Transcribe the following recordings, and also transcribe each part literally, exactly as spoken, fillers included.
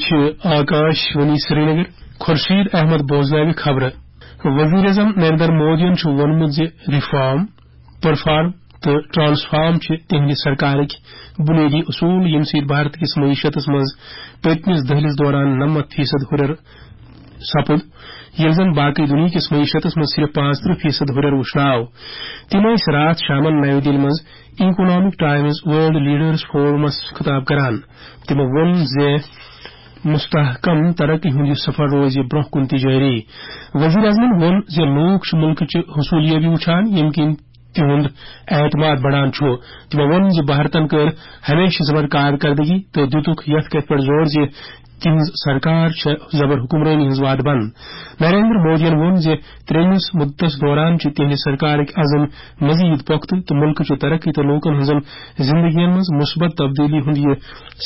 چھِ آکاش وانی سرینگر۔ خورشید احمد بوزناوِ خبرٕ۔ وزیر اعظم نریندر مودیَن چھُ ووٚنمُت زِ ریفارم، پرفارم تہٕ ٹرانسفارم چھِ تِہنٛدِ سرکارٕکۍ بُنیٲدی اصوٗل، ییٚمہِ سۭتۍ بھارت کِس معیشتس منٛز پٔتمِس دٔہلِس دوران نَمَتھ فیصد ہُرٮ۪ر سپُد، ییٚلہِ زن باقٕے دُنیاہکِس معیشتس منٛز صرف پانٛژترٕہ فیصد ہُرٮ۪ر وُچھنہٕ آو۔ تِم ٲسۍ راتھ شامن نَیہِ دِلہِ منٛز economic Times world leaders forums خطاب کران۔ تِمو ووٚن زِ مستحکم ترقی ہُنٛد یہِ سفر روزِ برٛونٛہہ کُن تہِ جٲری۔ وزیر اعظمن ووٚن زِ لوٗکھ چھِ مُلکٕچہِ حصوٗلیٲبی وُچھان، ییٚمہِ کِنۍ تِہُنٛد اعتماد بڑان چھُ۔ تِمو ووٚن زِ بھارتن کٔر ہمیشہٕ زبر کارکردگی تہٕ دِتُکھ یَتھ کَتھِ پٮ۪ٹھ زور زِ تِہنٛز سرکار چھےٚ زبر حکمرٲنی ہٕنٛز وعدٕ بنٛد۔ نریندر مودیَن ووٚن زِ ترٛیٚیمِس مُدتس دوران چھِ تِہنٛدِ سرکارٕکۍ عزم مزید پۄختہٕ تہٕ مُلکٕچہِ ترقی تہٕ لوٗکن ہٕنٛزن زندگین منٛز مثبت تبدیلی ہُنٛد یہِ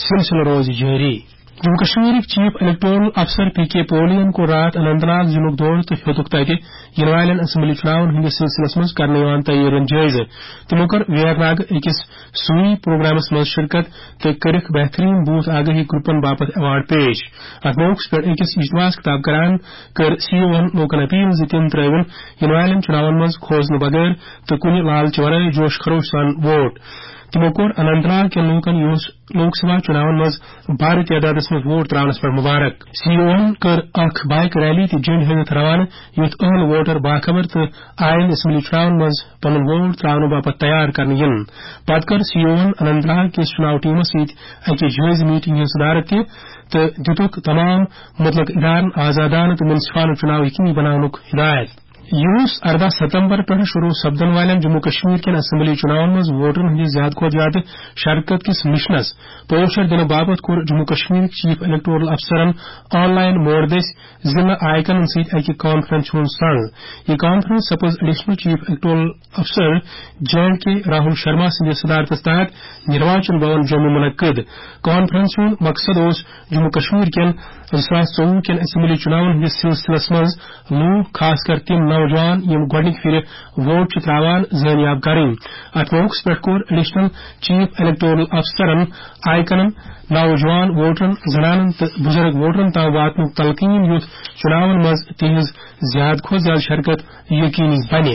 سلسلہٕ روزِ جٲری۔ جموں کشمیرٕکۍ چیف الیکٹورل افسر پی کے پولین کوٚر راتھ اننت ناگ ضلعُک دورٕ تہٕ ہیوٚتُکھ تَتہِ یِنہٕ والٮ۪ن اسمبلی چُناون ہٕنٛدِس سلسلس منٛز کرنہٕ یِوان تیٲرین جٲیزٕ۔ تِمو کٔر ویرناگ أکِس سوئی پروگرامس منٛز شرکت تہٕ کٔرٕکھ بہترین بوتھ آگاہی گروپن باپتھ ایوارڈ پیش۔ اتھ موقعس پٮ۪ٹھ أکِس اجتماعس خطاب کران کٔر سی او ہن لوٗکن اپیل زِ تِم ترٲوِن یِنہٕ والٮ۪ن چُناون منٛز کھوژنہٕ بغٲر تہٕ کُنہِ لالچہِ ورٲے جوش خروش سان ووٹ۔ تِمو کوٚر اننت ناگ کٮ۪ن لوٗکن یُس لوک سبھا چُناون منٛز بھاری تعدادس منٛز ووٹ ترٛاونس پٮ۪ٹھ مبارک۔ سی او ہن کٔر اکھ بائیک ریلی تہِ جنڈ ہٲوِتھ روانہٕ، یُتھ اہل ووٹر باخبر تہٕ آیندٕ اسمبلی چُناون منٛز پنُن ووٹ ترٛاونہٕ باپتھ تیار کرنہٕ یِن۔ پتہٕ کٔر سی او ہن اننت ناگ کِس چُناو ٹیمس سۭتۍ اکہِ جٲیزٕ میٹنگ ہٕنٛز صدارت تہِ تہٕ دِتُکھ تمام مُتعلقہٕ ادارن آزادانہٕ تہٕ منصفانہٕ چُناو یقینی بناونُک ہدایت۔ یُس ارداہ ستمبر پٮ۪ٹھ شروع سپدن والٮ۪ن جموں کشمیر کٮ۪ن اسمبلی چُناون منٛز ووٹرن ہٕنٛدِس زیادٕ کھۄتہٕ زیادٕ شرکت کِس مشنس پوچھر دِنہٕ باپتھ کوٚر جموں کشمیرٕکۍ چیف الیکٹورل افسرن آن لائن موڈ دٔسۍ ضلع آیکنن سۭتۍ اکہِ کانفرنس ہُنٛد سنگ۔ یہِ کانفرنس سپٕز ایڈیشنل چیف الیکٹورل افسر جے اینڈ کے راہل شرما سٕنٛدِس صدارتس تحت نروچن بھون جوٚمہِ منعقد۔ کانفرنس ہُنٛد مقصد اوس جموں کشمیر کٮ۪ن زٕ ساس ژوٚوُہ کٮ۪ن اسمبلی چُناون ہٕنٛدِس سلسلس منٛز لوٗکھ، خاص کر تِم نوجوان یِم گۄڈٕنِکہِ پھِرِ ووٹ چھِ ترٛاوان، زٲنیاب کرٕنۍ۔ اتھ موقعس پٮ۪ٹھ کوٚر ایڈیشنل چیف الیکٹورل افسرن آیکنن، نوجوان ووٹرن، زنانن تہٕ بُزرگ ووٹرن تام واتنُک تلقین، یُتھ چُناون منٛز تِہنٛز زیادٕ کھۄتہٕ زیادٕ شرکت یقینی بنہِ۔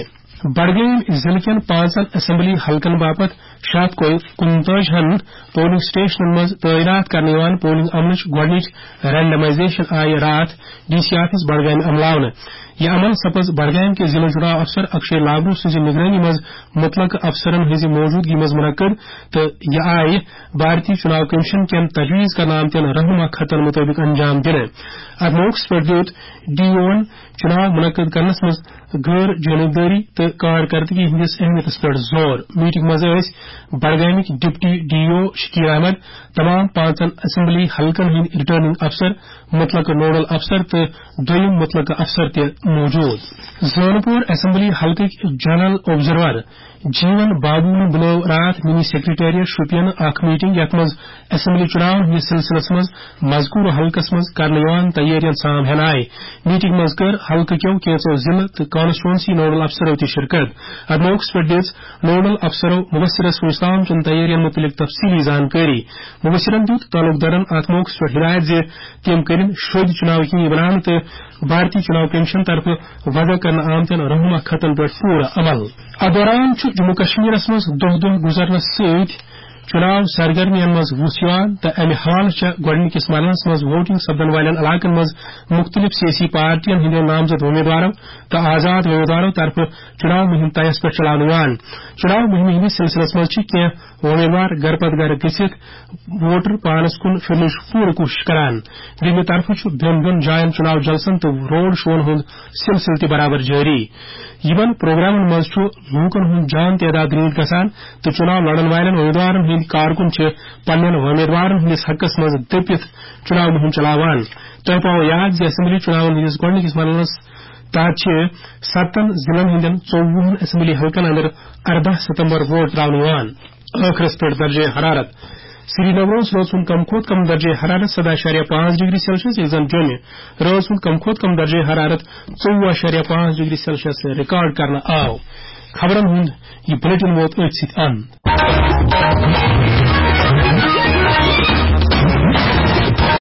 بڈگٲمۍ ضلعہٕ کٮ۪ن پانٛژن اسمبلی حلقن باپتھ شےٚ ہتھ کُنتٲجی ہن پولنگ سٹیشنن منٛز تعینات کرنہٕ یِوان پولنگ عملٕچ گۄڈٕنِچ رینڈمائزیشن آیہِ راتھ ڈی سی آفس بڈگامہِ عملاونہٕ۔ یہِ عمل سپٕز بڈگامہِ کِس ضلع چُناو افسر اکشے لابرو سٕنٛزِ نگرٲنی منٛز مُتعلقہٕ افسرن ہٕنٛزِ موجودگی منٛز منعقد تہٕ یہِ آیہِ بھارتی چُناو کمیشن کٮ۪ن تجویز کرنہٕ آمتٮ۪ن رہنما خطن مُطٲبِق انجام دِنہٕ۔ اتھ موقعس پٮ۪ٹھ دیُت ڈی اوون چُناو منعقد کرنس منٛز غٲر جانبدٲری تہٕ کارکردگی ہٕنٛدِس اہمیتس پٮ۪ٹھ زور۔ میٹنگ منٛز ٲسۍ بڈگامٕکۍ deputy D O Shakeel Ahmad, تمام پانٛژن اسمبلی حلقن ہٕنٛدۍ ریٹرننگ افسر، مُتعلقہٕ نوڈل افسر تہٕ دوٚیِم مُتعلقہٕ افسر تہِ موجود۔ زونپور اسمبلی حلقٕکۍ جنرل آبزرور جیون بابوہن بُلٲو راتھ منی سیکرٹریٹ شوپین اکھ میٹنگ، یتھ منٛز اسمبلی چُناون ہٕنٛدِس سلسلس منٛز مذکورٕ حلقس منٛز کرنہٕ یِوان تیٲرین سام ہٮ۪نہٕ آیہِ۔ میٹنگ منٛز کٔر حلقہٕ کٮ۪و کینٛژو ضلعہٕ تہٕ کانسٹیچوئنسی نوڈل افسرو تہِ شرکت۔ اتھ موقعس پٮ۪ٹھ دِژ نوڈل افسرو مبصرس وُچھتام چٮ۪ن تیٲرین مُتعلق تفصیلی زانکٲری۔ مبصرن دیُت تعلقدارن اتھ موقعس پٮ۪ٹھ ہدایت زِ تِم کٔرِن شوٚدۍ چُناو یقینی بناونہٕ تہٕ بھارتی چُناو کمیشن طرفہٕ وضع کرنہٕ آمتٮ۪ن رہنما خطن پٮ۪ٹھ پوٗرٕ عمل۔ اتھ دوران چھُ جموں کشمیرس منٛز دۄہ دۄہ گُزرنس سۭتۍ چُناو سرگرمین منٛز وُژھ یِوان تہٕ امہِ حوالہٕ چھےٚ گۄڈٕنِکِس مرحلس منٛز ووٹنگ سپدن والٮ۪ن علاقن منٛز مُختٔلِف سیٲسی پارٹین ہٕنٛدٮ۪و نامزد وۄمیدوارو تہٕ آزاد وۄمیدوارو طرفہٕ چُناو مُہِم طیَس پٮ۪ٹھ چلاونہٕ یِوان۔ چُناو مُہِمہِ ہٕنٛدِس سلسلس منٛز چھِ کینٛہہ وۄمیدوار گرٕ پتہٕ گرٕ گٔژھِتھ ووٹر پانس کُن پھِرنٕچ پوٗرٕ کوٗشش کران۔ بیٚیہِ طرفہٕ چھُ بیٚن بیٚن جاین چُناو جلسن تہٕ روڈ شوون ہُنٛد سلسلہٕ تہِ برابر جٲری۔ یِمن پروگرامن منٛز چھُ لوٗکن ہُنٛد جان تعداد رٲنۍ گژھان تہٕ چُناو لڑن والٮ۪ن وۄمیدوارن ہٕنٛدۍ کارکُن چھِ پننٮ۪ن وۄمیدوارن ہٕنٛدِس حقس منٛز دٔپِتھ چُناو مُہِم چلاوان۔ تۄہہِ پاوو یاد زِ اسمبلی چُناون ہٕنٛدِس گۄڈٕنِکِس مرحلس تحت چھِ ستن ضلعن ہٕنٛدٮ۪ن ژوٚوُہن اسمبلی حلقن اندر ارداہ ستمبر ووٹ ترٛاونہٕ یِوان۔ ٲخرس پٮ۪ٹھ درجہ حرارت۔ سری نگرس رٲژ ہُنٛد کم کھۄتہٕ کم درجہ حرارت سداہ اَشاریہ پانٛژھ ڈگری سیلسیس، ییٚلہِ زن جوٚمہِ رٲژ ہُنٛد کم کھۄتہٕ کم درجہ حرارت ژوٚوُہ اَشاریہ پانٛژھ ڈگری سیلسیس ریکارڈ کرنہٕ آو۔ خبرن ہُنٛد یہِ بلیٹن ووت أتھۍ سۭتۍ اند۔